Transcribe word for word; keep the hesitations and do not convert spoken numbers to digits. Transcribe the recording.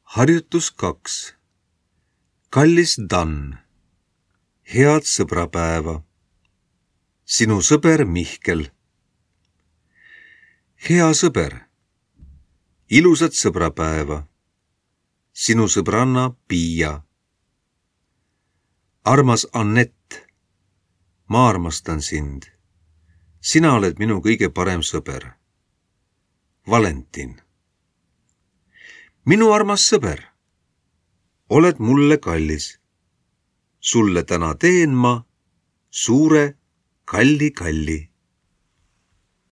Harjutus kaks. Kallis Dan, head sõbrapäeva. Sinu sõber Mihkel. Hea sõber, ilusat sõbrapäeva. Sinu sõbranna Piia. Armas Annett, ma armastan sind. Sina oled minu kõige parem sõber. Valentin. Minu armas sõber, oled mulle kallis. Sulle täna teen ma suure kalli kalli.